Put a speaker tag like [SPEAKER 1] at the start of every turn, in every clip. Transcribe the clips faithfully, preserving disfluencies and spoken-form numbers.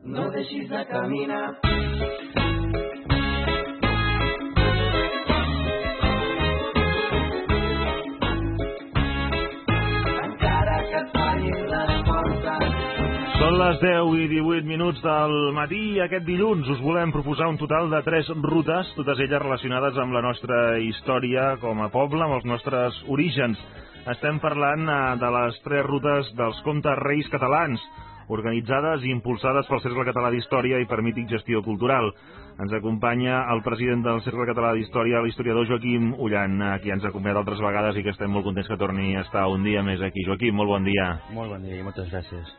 [SPEAKER 1] no deixis de caminar. Encara que et fallin les portes.
[SPEAKER 2] Són les deu i divuit minuts del matí i aquest dilluns us volem proposar un total de tres rutes, totes elles relacionades amb la nostra història com a poble, amb els nostres orígens. Estem parlant de les tres rutes dels Comtes Reis catalans, organitzades i impulsades pel Cercle Català d'Història i per Mític Gestió Cultural. Ens acompanya el president del Cercle Català d'Història, l'historiador Joaquim Ullan, qui ens ha acompanyat altres vegades i que estem molt contents que torni a estar un dia més aquí. Joaquim, molt bon dia.
[SPEAKER 3] Molt bon dia i moltes gràcies.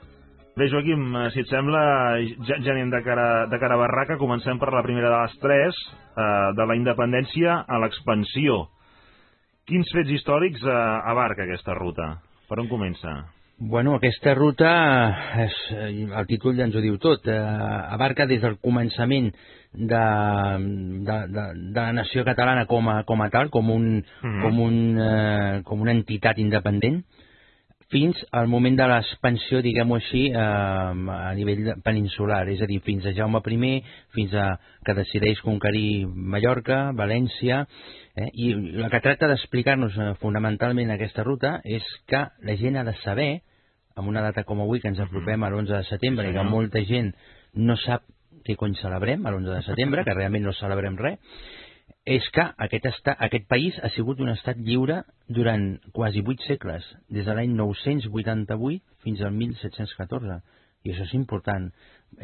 [SPEAKER 2] Bé, Joaquim, si et sembla, ja, ja anem de cara, de cara a barraca. Comencem per la primera de les tres, eh, de la independència a l'expansió. Quins fets històrics eh, abarca aquesta ruta? Per on comença?
[SPEAKER 3] Bueno, aquesta ruta, és, el títol ja ens ho diu tot, eh, abarca des del començament de, de, de, de la nació catalana com a, com a tal, com, un, mm-hmm. com, un, eh, com una entitat independent, fins al moment de l'expansió, diguem-ho així, eh, a nivell peninsular, és a dir, fins a Jaume primer, fins a que decideix conquerir Mallorca, València, eh, i el que tracta d'explicar-nos eh, fonamentalment aquesta ruta és que la gent ha de saber, amb una data com avui, que ens apropem a l'onze de setembre, sí, i que molta gent no sap què cony celebrem a l'onze de setembre, que realment no celebrem res, és que aquest, estat, aquest país ha sigut un estat lliure durant quasi vuit segles, des de l'any nou-cents vuitanta-vuit fins al mil set-cents catorze. I això és important,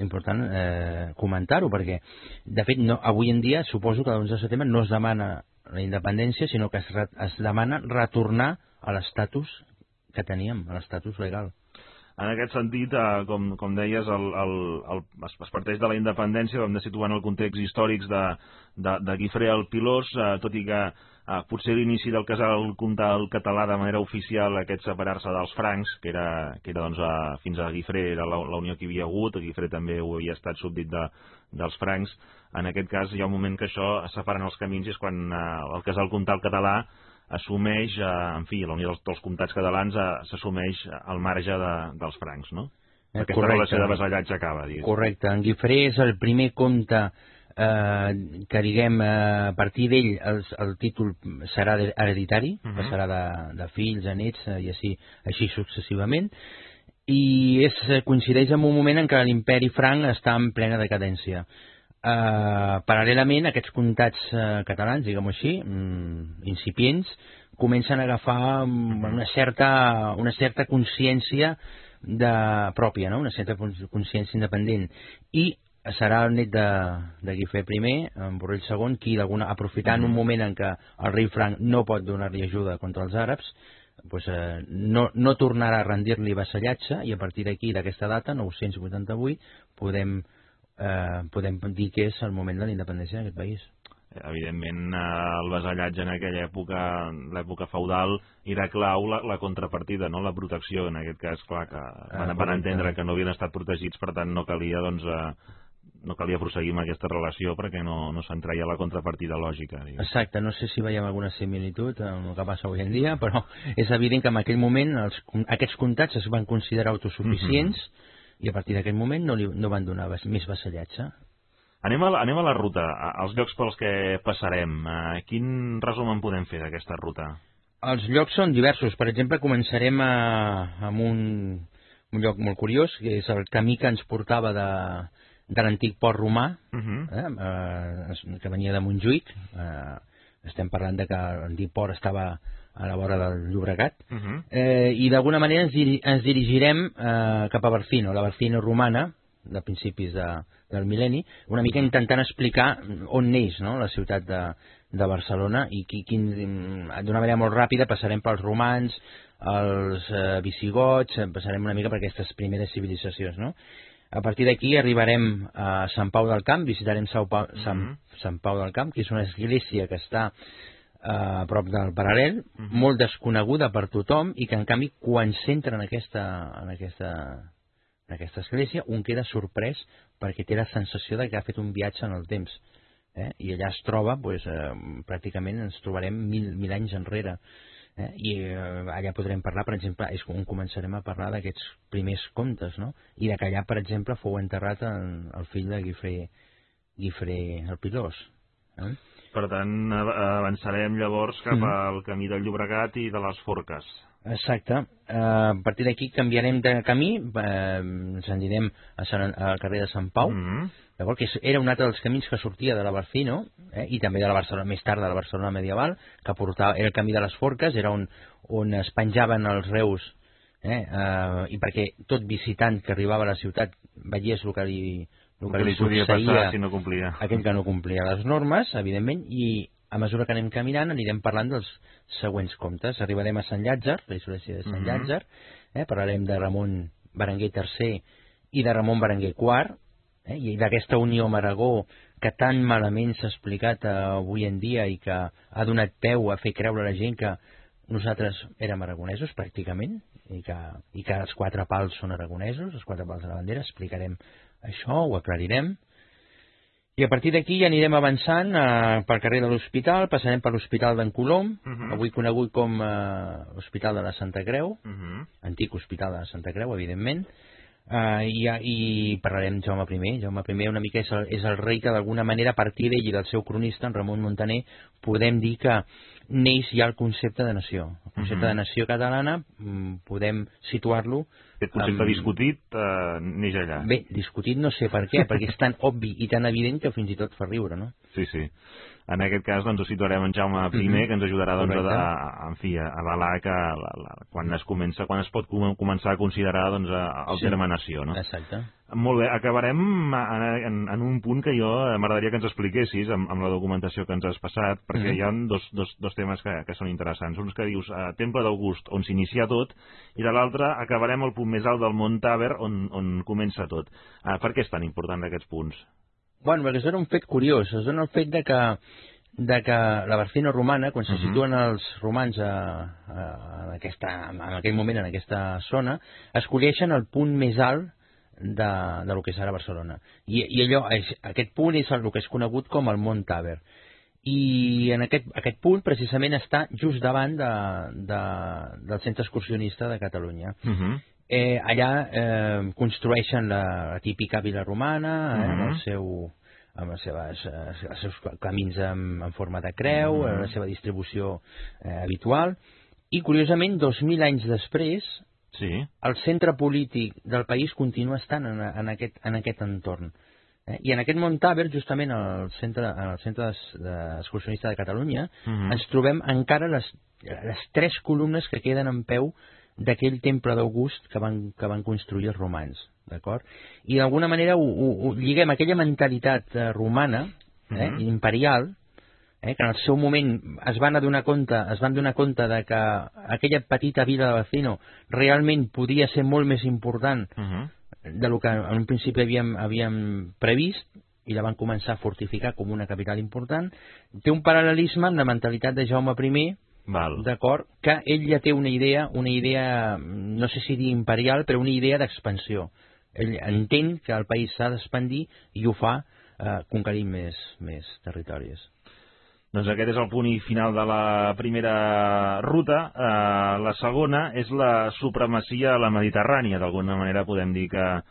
[SPEAKER 3] important eh, comentar-ho, perquè, de fet, no, avui en dia suposo que l'onze de setembre no es demana la independència, sinó que es, re, es demana retornar a l'estatus que teníem, a l'estatus legal.
[SPEAKER 2] En aquest sentit, eh, com, com deies, el, el, el, es, es parteix de la independència, hem de situar en el context històrics de, de, de Guifré el Pilós, eh, tot i que eh, potser l'inici del casal comtal català de manera oficial, aquest separar-se dels francs, que era, que era doncs, eh, fins a Guifré era la, la unió que hi havia hagut, Guifré també ho havia estat súbdit de, dels francs. En aquest cas hi ha un moment que això es separen els camins i és quan eh, el casal comtal català assumeix, eh, en fi, la unió dels, dels comtats catalans eh, s'assumeix al marge de, dels francs, no? Eh, Aquesta correcte. Relació de vasallatge acaba, digues.
[SPEAKER 3] Correcte. En Guifré és el primer comte eh, que, diguem, eh, a partir d'ell el, el títol serà hereditari, uh-huh. passarà de, de fills a nets eh, i així, així successivament, i és, coincideix en un moment en què l'imperi franc està en plena decadència. Uh, paral·lelament, aquests comtats uh, catalans, diguem-ho així, um, incipients, comencen a agafar um, una certa, una certa consciència de, pròpia, no? Una certa consciència independent. I serà el net de, de Guifré primer, en Borrell segon, qui, aprofitant un moment en què el rei franc no pot donar-li ajuda contra els àrabs, pues, eh, no, no tornarà a rendir-li vassallatge, i a partir d'aquí, d'aquesta data, nou-cents vuitanta-vuit, podem Eh, podem dir que és el moment de la independència d'aquest país.
[SPEAKER 2] Evidentment, el vasallatge en aquella època, l'època feudal, era clau la, la contrapartida, no? La protecció, en aquest cas, clar, que van, van entendre que no havien estat protegits, per tant no calia, doncs, eh, no calia proseguir amb aquesta relació perquè no, no se'n treia la contrapartida lògica. Digues.
[SPEAKER 3] Exacte, no sé si veiem alguna similitud amb el que passa avui en dia, però és evident que en aquell moment els, aquests comtats es van considerar autosuficients, mm-hmm. i a partir d'aquest moment no, li, no van donar més vassallatge.
[SPEAKER 2] Anem a, la, anem a la ruta, als llocs pels que passarem. Uh, quin resum en podem fer d'aquesta ruta?
[SPEAKER 3] Els llocs són diversos. Per exemple, començarem a, amb un, un lloc molt curiós, que és el camí que ens portava de, de l'antic port romà, uh-huh. eh, uh, que venia de Montjuïc. Uh, estem parlant de que l'antic port estava a la vora del Llobregat, uh-huh. eh, i d'alguna manera ens, diri ens dirigirem eh, cap a Barcino, la Barcino romana, de principis de, del mil·lenni, una mica intentant explicar on neix, no?, la ciutat de, de Barcelona, i d'una manera molt ràpida passarem pels romans, els eh, visigots, passarem una mica per aquestes primeres civilitzacions, no? A partir d'aquí arribarem a Sant Pau del Camp, visitarem Sant Pau, Sant, Sant Pau del Camp, que és una església que està a prop del Paral·lel, uh-huh. molt desconeguda per tothom, i que en canvi quan s'entra en aquesta, en aquesta, en aquesta església un queda sorprès perquè té la sensació de que ha fet un viatge en el temps, eh? I allà es troba, pues, eh, pràcticament ens trobarem mil, mil anys enrere, Eh? I eh, allà podrem parlar, per exemple, és on començarem a parlar d'aquests primers contes, no? I de que allà, per exemple, fou enterrat en, el fill de Guifré, Guifré el Pilós. Eh?
[SPEAKER 2] Per tant, avançarem llavors cap
[SPEAKER 3] Mm.
[SPEAKER 2] al camí del Llobregat i de les Forques.
[SPEAKER 3] Exacte. Uh, a partir d'aquí canviarem de camí, uh, ens anirem a Sant, al carrer de Sant Pau,
[SPEAKER 2] Mm -hmm.
[SPEAKER 3] Llavors, que era un altre dels camins que sortia de la Barcino, eh, i també de la Barcelona, més tard de la Barcelona medieval, que portava, era el camí de les Forques, era on, on es penjaven els reus, eh, eh, i perquè tot visitant que arribava a la ciutat veiés el que li, el que
[SPEAKER 2] que
[SPEAKER 3] li
[SPEAKER 2] li podia
[SPEAKER 3] succeïa
[SPEAKER 2] passar si no complia.
[SPEAKER 3] aquell que no complia les normes, evidentment, i a mesura que anem caminant anirem parlant dels següents contes. Arribarem a Sant Llàtzer, la Insurrecció de Sant
[SPEAKER 2] Mhm.
[SPEAKER 3] Llàtzer, eh, parlarem de Ramon Berenguer tercer i de Ramon Berenguer quart, eh, i d'aquesta unió amb Aragó que tan malament s'ha explicat eh, avui en dia i que ha donat peu a fer creure a la gent que nosaltres érem aragonesos pràcticament i que, i que els quatre pals són aragonesos, els quatre pals de la bandera. Explicarem això, ho aclarirem. I a partir d'aquí ja anirem avançant eh, pel carrer de l'Hospital, passarem per l'Hospital d'en Colom, uh -huh. avui conegut com eh, l'Hospital de la Santa Creu, uh -huh. antic Hospital de la Santa Creu, evidentment, eh, i, i parlarem de Jaume I. Jaume I una mica és el, és el rei que d'alguna manera a partir d'ell i del seu cronista, en Ramon Montaner, podem dir que neix ja el concepte de nació. El concepte uh -huh. de nació catalana podem situar-lo.
[SPEAKER 2] Aquest concepte um, discutit eh, neix allà.
[SPEAKER 3] Bé, discutit no sé per què, perquè és tan obvi i tan evident que fins i tot fa riure, no?
[SPEAKER 2] Sí, sí. En aquest cas doncs, ho situarem en Jaume I, uh -huh. que ens ajudarà doncs, a, a, en fi, a avalar que la, la, quan es comença, quan es pot com, començar a considerar doncs, el sí. terme nació, no?
[SPEAKER 3] Exacte.
[SPEAKER 2] Molt bé, acabarem en, en, en un punt que jo m'agradaria que ens expliquessis amb, amb la documentació que ens has passat, perquè uh -huh. hi ha dos, dos, dos temes que, que són interessants. Uns que dius eh, Temple d'August, on s'inicia tot, i de l'altre acabarem al punt més alt del Mont Tàber, on, on comença tot. Eh, per què és tan important aquests punts?
[SPEAKER 3] Bueno, perquè es dona un fet curiós, es dona el fet de que, de que la Barcino romana, quan se uh-huh. situen els romans a, a, en, aquesta, en aquell moment en aquesta zona, escolleixen el punt més alt de, de lo que és ara Barcelona. I, i allò, és, aquest punt és el que és conegut com el Mont Tàber. I en aquest, aquest punt precisament està just davant de, de, del centre excursionista de Catalunya. Uh-huh. Eh, allà eh, construeixen la, la típica vila romana, eh, uh-huh. amb, el seu, amb les seves, eh, els seus camins en, en forma de creu, uh-huh. la seva distribució eh, habitual, i curiosament, dos mil anys després, sí. el centre polític del país continua estant en, en, aquest, en aquest entorn. Eh? I en aquest Mont Tàber, justament al centre, al centre excursionista de Catalunya, uh-huh. ens trobem encara les, les tres columnes que queden en peu d'aquell temple d'August que van, que van construir els romans, d'acord? I d'alguna manera ho, ho, ho lliguem aquella mentalitat eh, romana, eh, uh-huh. imperial, eh, que en el seu moment es van adonar compte, es van donar compte de que aquella petita vila de Barcino realment podia ser molt més important uh-huh. de lo que en un principi havíem, havíem previst, i la van començar a fortificar com una capital important. Té un paral·lelisme amb la mentalitat de Jaume I, d'acord, que ell ja té una idea, una idea, no sé si dir imperial, però una idea d'expansió. Ell entén que el país s'ha d'expandir i ho fa eh, conquerint més, més territoris.
[SPEAKER 2] Doncs aquest és el punt i final de la primera ruta. Eh, la segona és la supremacia a la Mediterrània. D'alguna manera podem dir que,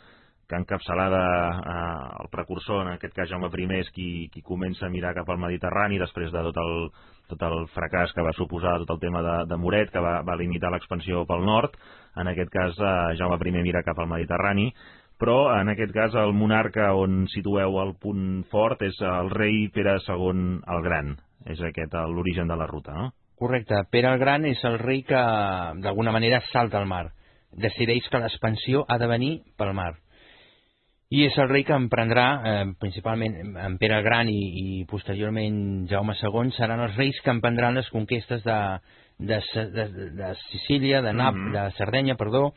[SPEAKER 2] que encapçalada eh, el precursor, en aquest cas Jaume I, és qui, qui comença a mirar cap al Mediterrani després de tot el, tot el fracàs que va suposar tot el tema de, de Muret, que va, va limitar l'expansió pel nord. En aquest cas eh, Jaume I mira cap al Mediterrani, però en aquest cas el monarca on situeu el punt fort és el rei Pere segon el Gran. És aquest l'origen de la ruta, no?
[SPEAKER 3] Correcte. Pere el Gran és el rei que d'alguna manera salta al mar. Decideix que l'expansió ha de venir pel mar. I és el rei que emprendrà, eh, principalment en Pere el Gran i, i posteriorment Jaume segon, seran els reis que emprendran les conquestes de, de, de, de Sicília, de, Nap, mm-hmm. de Sardenya, perdó,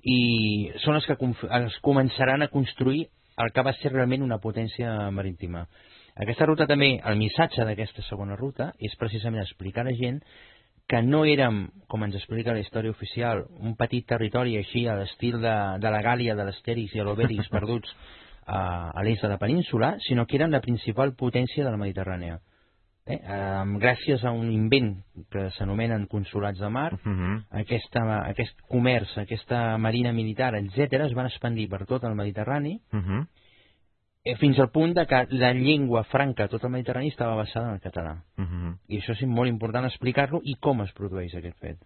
[SPEAKER 3] i són els que els començaran a construir el que va ser realment una potència marítima. Aquesta ruta també, el missatge d'aquesta segona ruta és precisament explicar a la gent que no érem, com ens explica la història oficial, un petit territori així a l'estil de, de la Gàlia, de l'Astèrix i l'Obèrix perduts a, a l'est de la península, sinó que eren la principal potència de la Mediterrània. eh, eh, gràcies a un invent que s'anomenen consolats de mar,
[SPEAKER 2] uh -huh.
[SPEAKER 3] aquesta, aquest comerç, aquesta marina militar, etcètera, es van expandir per tot el Mediterrani,
[SPEAKER 2] uh -huh.
[SPEAKER 3] eh, fins al punt de que la llengua franca a tot el Mediterrani estava basada en el català.
[SPEAKER 2] Uh -huh.
[SPEAKER 3] I això és molt important explicar-lo i com es produeix aquest fet.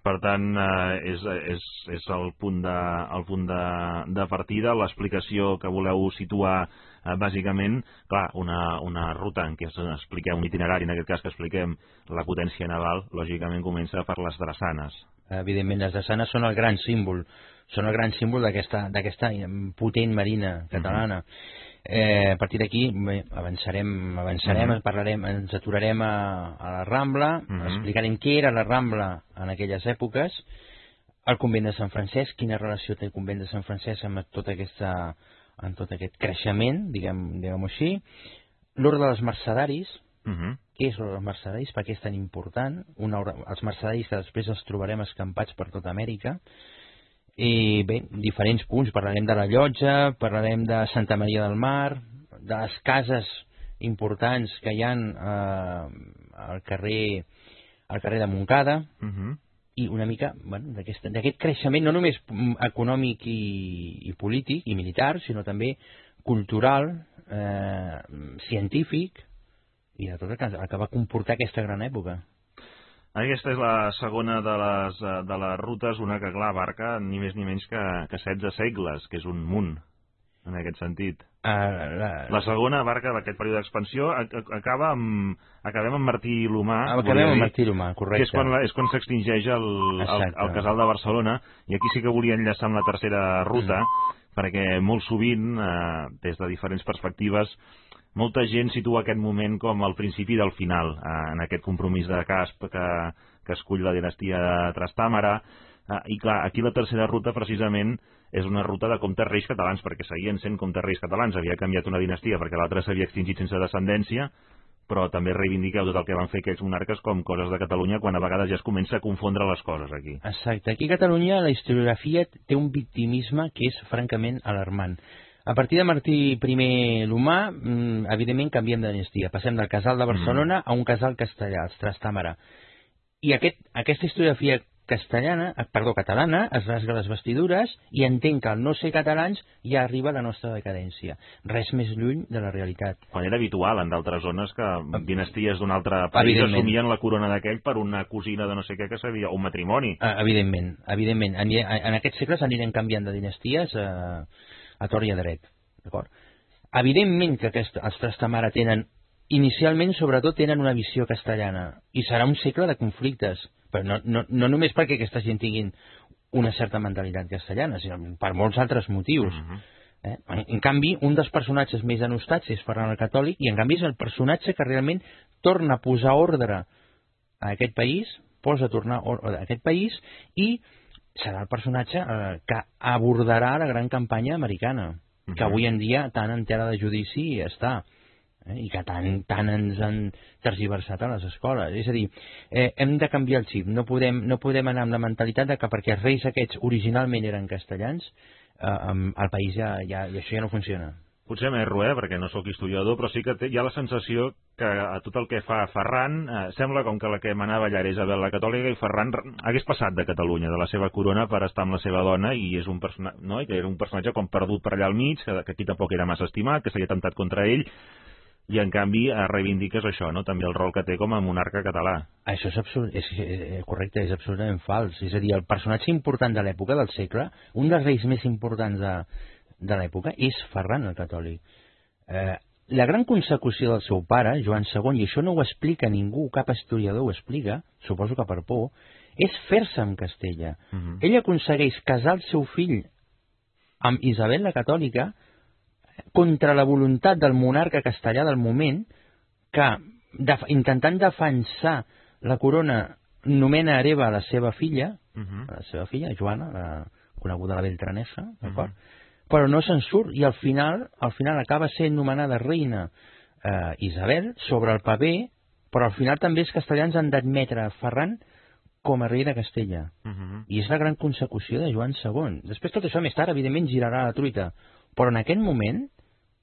[SPEAKER 2] Per tant, eh, és, és, és el punt de, el punt de, de partida, l'explicació que voleu situar eh, bàsicament, clar, una, una ruta en què expliquem un itinerari, en aquest cas que expliquem la potència naval, lògicament comença per les drassanes.
[SPEAKER 3] Evidentment, les drassanes són el gran símbol, són el gran símbol d'aquesta potent marina catalana. Uh-huh. Eh, a partir d'aquí avançarem, avançarem uh-huh. parlarem, ens aturarem a, a la Rambla, uh-huh. explicarem què era la Rambla en aquelles èpoques, el convent de Sant Francesc, quina relació té el convent de Sant Francesc amb tot, aquesta, amb tot aquest creixement, diguem, diguem-ho així, l'ordre dels mercedaris, uh-huh. què és l'ordre dels mercedaris, per què és tan important, una ordre, els mercedaris que després els trobarem escampats per tota Amèrica. I bé, diferents punts, parlarem de la Llotja, parlarem de Santa Maria del Mar, de les cases importants que hi ha eh, al carrer al carrer de Montcada, uh-huh. i una mica bueno, d'aquest creixement no només econòmic i, i polític i militar, sinó també cultural, eh, científic, i de tot el que, el que va comportar aquesta gran època.
[SPEAKER 2] Aquesta és la segona de les, de les rutes, una que, clar, abarca ni més ni menys que, que setze segles, que és un munt, en aquest sentit. Uh, la... la segona abarca aquest període d'expansió, acaba amb, acabem amb Martí l'Humà.
[SPEAKER 3] Acabem amb Martí l'Humà, correcte.
[SPEAKER 2] Que és quan, és quan s'extingeix el, el, el casal de Barcelona, i aquí sí que volia enllaçar amb la tercera ruta, mm. perquè molt sovint, eh, des de diferents perspectives, molta gent situa aquest moment com el principi del final, eh, en aquest compromís de Casp que, que escull la dinastia de Trastàmara. Eh, I clar, aquí la tercera ruta precisament és una ruta de comtes reis catalans, perquè seguien sent comtes reis catalans. Havia canviat una dinastia perquè l'altra s'havia extingit sense descendència, però també reivindiqueu tot el que van fer aquells monarques com coses de Catalunya, quan a vegades ja es comença a confondre les coses aquí.
[SPEAKER 3] Exacte. Aquí a Catalunya la historiografia té un victimisme que és francament alarmant. A partir de Martí I l'Humà, evidentment canviem de dinastia. Passem del casal de Barcelona mm. a un casal castellà, els Trastàmara. I aquest, aquesta historiografia castellana, perdó, catalana, es rasga les vestidures i entén que al no ser catalans ja arriba la nostra decadència. Res més lluny de la realitat.
[SPEAKER 2] Quan era habitual en d'altres zones que dinasties d'un altre país assumien la corona d'aquell per una cosina de no sé què que sabia, o un matrimoni.
[SPEAKER 3] Evidentment, evidentment. En, en aquests segles anirem canviant de dinasties a... a tort i a dret, d'acord? Evidentment que aquest, els Trastamara tenen, inicialment, sobretot, tenen una visió castellana, i serà un segle de conflictes, però no, no, no només perquè aquesta gent tinguin una certa mentalitat castellana, sinó per molts altres motius. Uh-huh. eh? en, en canvi, un dels personatges més denostats és Ferran el Catòlic, i en canvi és el personatge que realment torna a posar ordre a aquest país, posa a tornar ordre a aquest país, i serà el personatge eh, que abordarà la gran campanya americana, uh-huh. que avui en dia tant en tela de judici està, eh, i que tant, tant ens han tergiversat a les escoles. És a dir, eh, hem de canviar el xip, no podem, no podem anar amb la mentalitat de que perquè els reis aquests originalment eren castellans, eh, el país ja, ja, i això ja no funciona.
[SPEAKER 2] Potser m'erro, eh, perquè no sóc historiador, però sí que té, hi ha la sensació que a tot el que fa Ferran eh, sembla com que la que manava allà era Isabel la Catòlica, i Ferran hagués passat de Catalunya, de la seva corona, per estar amb la seva dona, i és un persona, no? I que era un personatge com perdut per allà al mig, que, que aquí tampoc era massa estimat, que s'havia atemptat contra ell, i en canvi eh, reivindiques això, no? També el rol que té com a monarca català.
[SPEAKER 3] Això és, absolut, és, és correcte, és absolutament fals. És a dir, el personatge important de l'època, del segle, un dels reis més importants de de l'època, és Ferran el Catòlic. Eh, la gran consecució del seu pare, Joan segon, i això no ho explica ningú, cap historiador ho explica, suposo que per por, és fer-se amb Castella. Uh-huh. Ell aconsegueix casar el seu fill amb Isabel la Catòlica contra la voluntat del monarca castellà del moment, que def intentant defensar la corona nomena hereva a la seva filla, uh-huh. a la seva filla, Joana, la coneguda la Beltranesa, d'acord? Uh-huh. Però no se'n surt, i al final al final acaba sent nomenada reina eh, Isabel sobre el paper, però al final també els castellans han d'admetre Ferran com a rei de Castella. Uh-huh. I és la gran consecució de Joan segon. Després tot això més tard, evidentment, girarà la truita. Però en aquest moment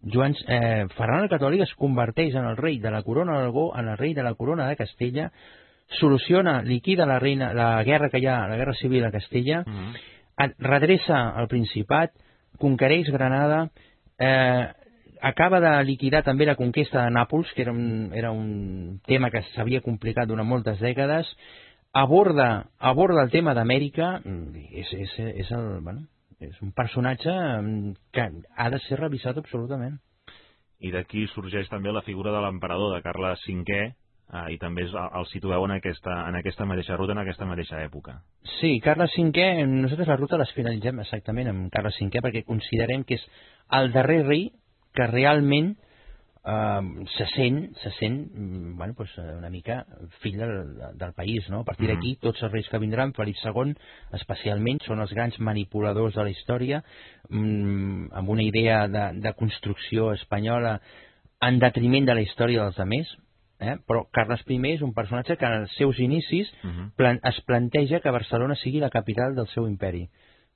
[SPEAKER 3] Joan, eh, Ferran el Catòlic es converteix en el rei de la corona d'Aragó, en el rei de la corona de Castella, soluciona, liquida la, reina, la guerra que hi ha, la guerra civil a Castella, mm-hmm. redreça el Principat, conquereix Granada, eh, acaba de liquidar també la conquesta de Nàpols, que era un, era un tema que s'havia complicat durant moltes dècades, aborda, aborda el tema d'Amèrica, és, és, és, el, bueno, és un personatge que ha de ser revisat absolutament.
[SPEAKER 2] I d'aquí sorgeix també la figura de l'emperador, de Carles cinquè, eh, i també el situeu en aquesta, en aquesta mateixa ruta, en aquesta mateixa època.
[SPEAKER 3] Sí, Carles cinquè, nosaltres la ruta les finalitzem exactament amb Carles cinquè perquè considerem que és el darrer rei que realment eh, se sent, se sent bueno, pues, una mica fill del, del país, no? A partir mm. d'aquí, tots els reis que vindran, Felip segon, especialment, són els grans manipuladors de la història, mm, amb una idea de, de construcció espanyola en detriment de la història dels altres, eh? Però Carles primer és un personatge que en els seus inicis mm-hmm. plan, es planteja que Barcelona sigui la capital del seu imperi.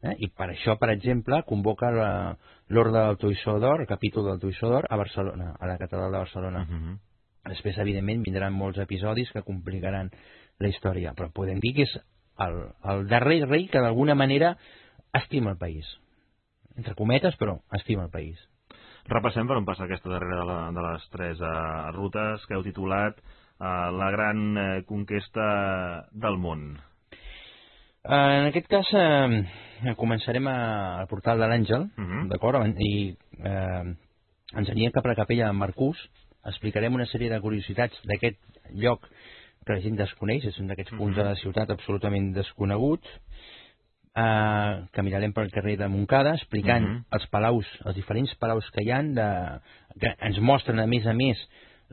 [SPEAKER 3] Eh? I per això, per exemple, convoca l'Orde del Toisó d'Or, el capítol del Toisó d'Or, a Barcelona, a la catedral de Barcelona. Uh-huh. Després, evidentment, vindran molts episodis que complicaran la història, però podem dir que és el, el darrer rei que d'alguna manera estima el país. Entre cometes, però estima el país.
[SPEAKER 2] Repassem per on passa aquesta darrera de, la, de les tres uh, rutes que heu titulat uh, La gran uh, conquesta del món.
[SPEAKER 3] En aquest cas eh, començarem a, al portal de l'Àngel, uh-huh. d'acord? I eh, ens anirem cap a la capella de Marcús, explicarem una sèrie de curiositats d'aquest lloc que la gent desconeix, és un d'aquests uh-huh. punts de la ciutat absolutament desconeguts, eh, caminarem pel carrer de Montcada explicant uh-huh. els palaus, els diferents palaus que hi ha, de, que ens mostren a més a més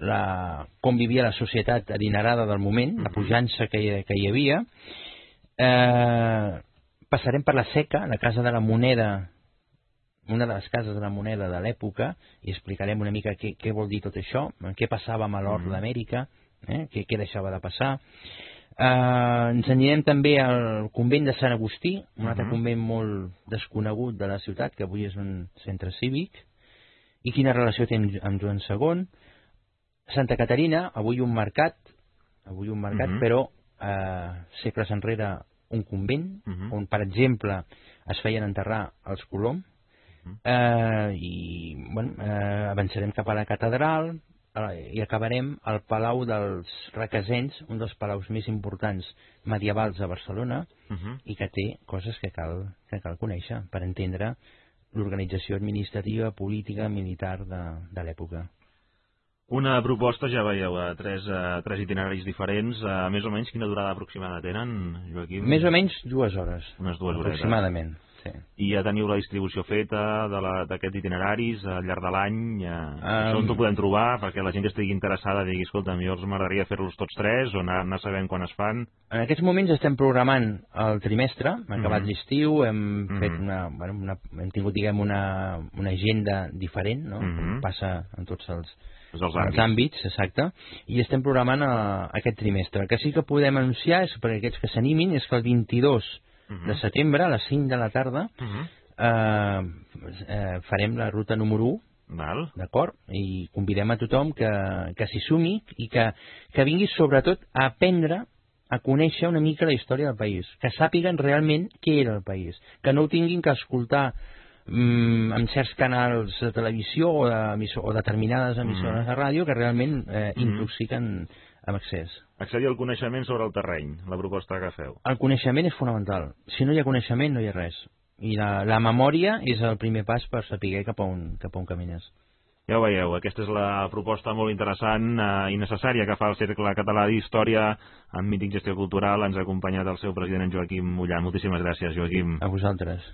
[SPEAKER 3] la, com vivia la societat adinerada del moment, uh-huh. la pujança que, que hi havia. Eh, passarem per la Seca, la casa de la moneda, una de les cases de la moneda de l'època, i explicarem una mica què, què vol dir tot això, què passava amb l'or mm. d'Amèrica, eh, què, què deixava de passar. Eh, ens anirem també al convent de Sant Agustí, un mm-hmm. altre convent molt desconegut de la ciutat, que avui és un centre cívic, i quina relació té amb Joan segon. Santa Caterina, avui un mercat, avui un mercat, mm-hmm. però eh, segles enrere un convent, uh-huh. on, per exemple, es feien enterrar els Colom, uh-huh. eh, i bueno, eh, avançarem cap a la catedral eh, i acabarem al Palau dels Requesens, un dels palaus més importants medievals a Barcelona, uh-huh. i que té coses que cal, que cal conèixer per entendre l'organització administrativa, política, militar de, de l'època.
[SPEAKER 2] Una proposta, ja veieu, a tres, a tres itineraris diferents. A més o menys, quina durada aproximada tenen, Joaquim?
[SPEAKER 3] Més o menys dues hores.
[SPEAKER 2] Unes dues hores.
[SPEAKER 3] Aproximadament, sí.
[SPEAKER 2] I ja teniu la distribució feta d'aquests itineraris al llarg de l'any? Ja... Um... Això on ho podem trobar? Perquè la gent que estigui interessada digui, escolta, a mi els m'agradaria fer-los tots tres, o anar, anar sabent quan es fan?
[SPEAKER 3] En aquests moments estem programant el trimestre, hem acabat mm-hmm. l'estiu, hem mm-hmm. fet una, bueno, una, hem tingut, diguem, una, una agenda diferent, no? Mm-hmm. Com passa en tots els...
[SPEAKER 2] Els àmbits.
[SPEAKER 3] els àmbits, exacte, i estem programant a, aquest trimestre. El que sí que podem anunciar, és per aquests que s'animin, és que el vint-i-dos uh-huh. de setembre, a les cinc de la tarda, uh-huh. eh, eh, farem la ruta número u, d'acord? I convidem a tothom que, que s'hi sumi i que, que vingui sobretot a aprendre, a conèixer una mica la història del país, que sàpiguen realment què era el país, que no ho tinguin que escoltar en certs canals de televisió o, de, o determinades emissores mm. de ràdio que realment eh, intoxiquen mm. amb excés.
[SPEAKER 2] Accedir al coneixement sobre el terreny, la proposta que feu.
[SPEAKER 3] El coneixement és fonamental. Si no hi ha coneixement, no hi ha res. I la, la memòria és el primer pas per saber cap a on, cap a on camines.
[SPEAKER 2] Ja ho veieu, aquesta és la proposta molt interessant eh, i necessària que fa el Cercle Català d'Història amb Mític Gestió Cultural. Ens ha acompanyat el seu president, en Joaquim Mollà. Moltíssimes gràcies, Joaquim.
[SPEAKER 3] A vosaltres.